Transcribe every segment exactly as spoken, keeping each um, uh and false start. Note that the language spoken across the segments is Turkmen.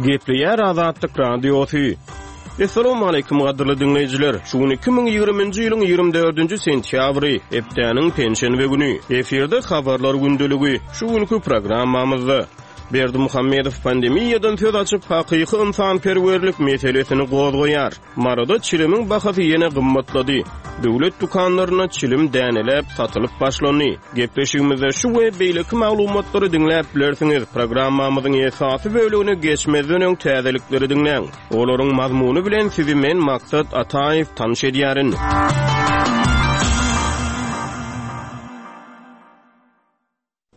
Gepleýär Azatlyk Radiosy. Assalamu gadyrly diňleýjiler. Şu gün iki müň ýigriminji ýylyň ýigrimi dördünji sentýabry, hepdäniň penşenbe güni. Efirde habarlar gündeligi. Şu günkü programmamyzda Berdimuhamedow pandemiýadan söz açyp, hakyky ynsanperwerlik meselesini gozgaýar. Maryda çilimiň bahasy ýene gymmatlady. Döwlet dükanlarynda çilim däneläp satylyp başlandy. Gepleşigimizde şu we beýleki maglumatlary diňläp bilersiňiz. Programmamyzyň esasy bölümine geçmezden öň täzelikleri diňläň. Olaryň mazmuny bilen sizi men Maksat Ataýew tanyş edýärin.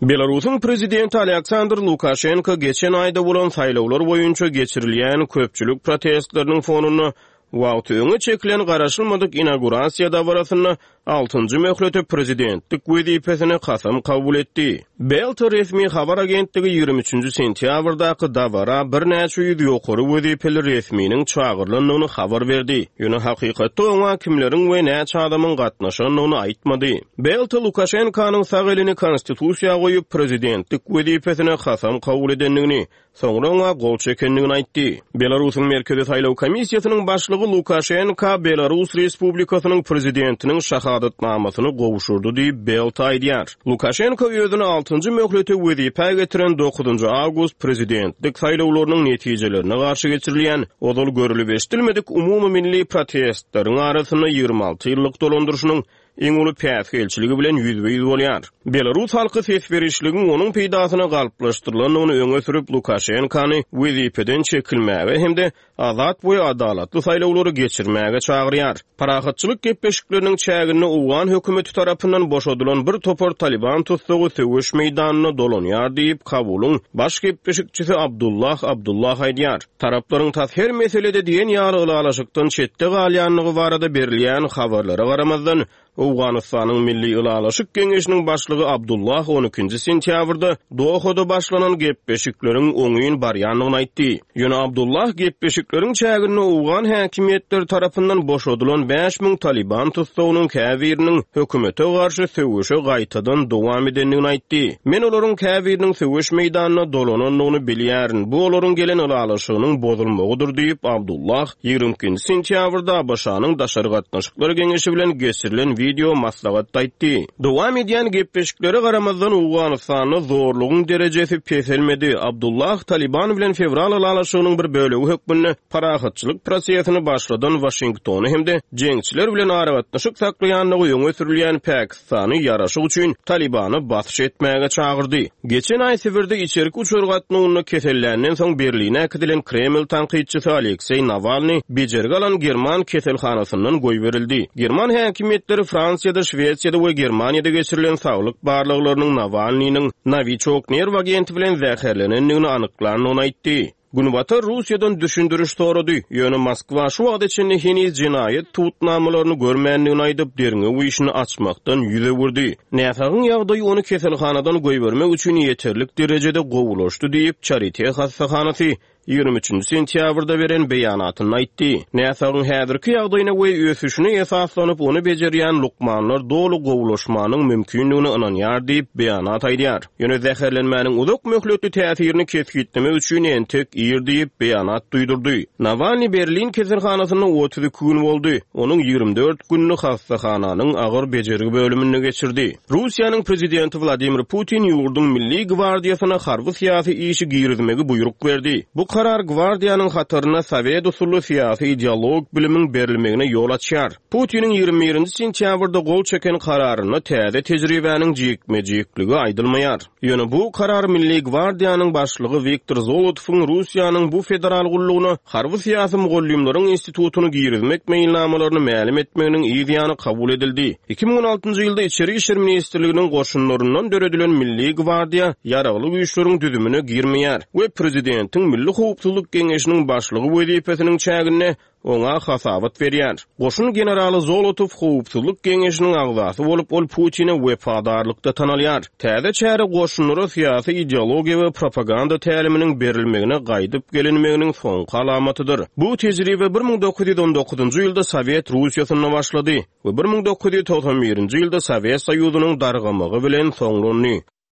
Belarusyň prezidenti Aleksandr Lukaşenko geçen aýda bolan saýlawlar boýunça geçirilýän köpçülik protestleriniň fonunda wagty öňe çekilen garaşylmadyk inaugurasiýa dabarasynda altynjy möhlete prezidentlik wezipesine kasam kabul etdi. Belta resmi habar agentligi ýigrimi üçünji sentýabrdaky dabara birnäçe ýüz ýokary wezipeli resminiň çagyrylandygyny habar berdi. Ýöne hakykatda oňa kimleriň we näçe adamyň gatnaşandygyny aýtmady. Belta Lukaşenkanyň sag elini konstitusiýa goýup prezidentlik wezipesine kasam kabul edendigini, soňra oňa gol çekendigini aýtdy. Belarusyň Merkezi Saýlaw Komissiýasynyň başlygy Lukaşenka Belarus Respublikasynyň prezidentiniň şahadatnamasyny gowşurdy diýip Belta aýdýar. Lukaşenko özüni altynjy möhlete wezipä getiren dokuzynjy awgust prezidentlik saýlawlarynyň netijelerine garşy geçirilýän ozal görülip eşidilmedik umumy milli protestleriň arasynda ýigrimi alty ýyllyk dolandyryşynyň iň uly päsgelçiligi bilen ýüzbe-ýüz bolýar. Belarus halky ses berişligiň onuň peýdasyna galplaşdyrylandygyny öňe sürüp Lukaşenkany wezipeden çekilmäge hem-de azat we adalatly saýlawlary geçirmäge çagyrýar. Parahatçylyk gepleşikleriniň çäginde Owgan hökümeti tarapyndan boşadylan bir topar Taliban tutsagy söweş meýdanyna dolanýar diýip Kabulyň baş gepleşikçisi Abdullah Abdullah aýdýar. Taraplaryň tas her meselede diýen ýaly ylalaşykdan çetde galýanlygy barada berilýän habarlara garamazdan Owganystanyň Milli Ylalaşyk Geňeşiniň başlygy Abdullah on ikinji sentýabrda Dohada başlanan gepleşikleriň oňyn barýandygyny aýtdy. Ýöne Abdullah gepleşikleriň çäginde Owgan häkimiýetleri tarapyndan boşadylan bäş müň Taliban tutsagynyň käbiriniň hökümete garşy söweşe gaýtadan dowam edendigini aýtdy. Men olaryň käbiriniň söweş meýdanyna dolanandygyny bilýärin. Bu olaryň gelen ylalaşygynyň bozulmagydyr diýip Abdullah ýigrimi ikinji sentýabrda ABŞ-nyň Daşary Gatnaşyklar Geňeşi bilen geçirilen video maslahat aýtdy. Dowam edýän gepleşiklere garamazdan Owganystanda zorlugyň derejesi peselmedi. Abdullah Taliban bilen fewral ylalaşygynyň bir bölegi hökmünde parahatçylyk prosesini başladan Washingtony hem-de jeňçiler bilen aragatnaşyk saklaýandygy öňe sürülýän Pakistany ýaraşyk üçin Talibany basyş etmäge çagyrdy. Geçen aý Sibirde içerki uçar gatnawynda keselländen soň Berline äkidilen Kreml tankytçysy Alekseý Nawalny bejergi alan German keselhanasyndan goýberildi. German häkimiýetleri Fransiýada, Şwesiýada we Germaniýada geçirilen saglyk barlaglarynyň Nawalnynyň Novichok nerw agenti bilen zäherlenendigini anyklandygyny aýtdy. Günbatar Russiýadan düşündiriş sorady. Ýöne Moskwa şu wagta çenli heniz jenaýat tutnamalaryny görmändigini aýdyp, derňew işini açmakdan ýüz öwürdi. Näsagyň ýagdaýy ony keselhanadan goýbermek üçin ýeterlik derejede gowulaşdy diýip, Charité hassahanasy ýigrimi üçünji sentýabrda beren beýanatynda aýtdy. Näsagyň häzirki ýagdaýyna we ösüşine esaslanyp ony bejerýän lukmanlar doly gowulaşmanyň mümkindigini ynanýar diýip beýanat aýdýar. Ýöne zäherlenmäniň uzak möhletli täsirini kesgitlemek üçin entek ir diýip beýanat duýdurdy. Nawalny Berlin keselhanasynda otuz iki gün boldy. Onuň ýigrimi dört gününi hassahananyň agyr bejergi bölüminde geçirdi. Russiýanyň prezidenti Wladimir Putin ýurduň Milli gwardiýasyna harby syýasy işi girizmegi buýruk berdi. Bu karar gwardiýanyň hataryna Sowet usully syýasy ideologik bilimiň berilmegine ýol açýar. Putiniň ýigrimi birinji sentýabrda gol çeken kararynda täze tejribäniň jikme-jikligi aýdylmaýar. Ýöne bu karar Milli gwardiýanyň başlygy Wiktor Zolotowyň Russiýanyň bu federal gullugyna harby syýasy mugallymlaryň institutyny girizmek meýilnamalaryny mälim etmeginiň yz ýany kabul edildi. Iki müň on altynjy ýylda Içeri İşler Ministrliginiň goşunlaryndan döredilen Milli gwardiýa ýaragly güýçleriň düzümine girmeýär we prezidentiň Milli Howpsuzlyk Geňeşiniň başlygy wezipesiniň çäginde oňa hasabat berýär. Goşun generaly Zolotow Howpsuzlyk Geňeşiniň agzasy bolup, ol Putine wepadarlykda tanalýar. Täze çäre goşunlara syýasy ideologiýa we propaganda täliminiň berilmegine gaýdyp gelinmeginiň soňky alamatydyr. Bu tejribe bir müň dokuz ýüz on dokuzynjy ýylda Sowet Russiýasynda başlady we bir müň dokuz ýüz togsan birinji ýylda Sowet Soýuzynyň dargamagy bilen soňlandy.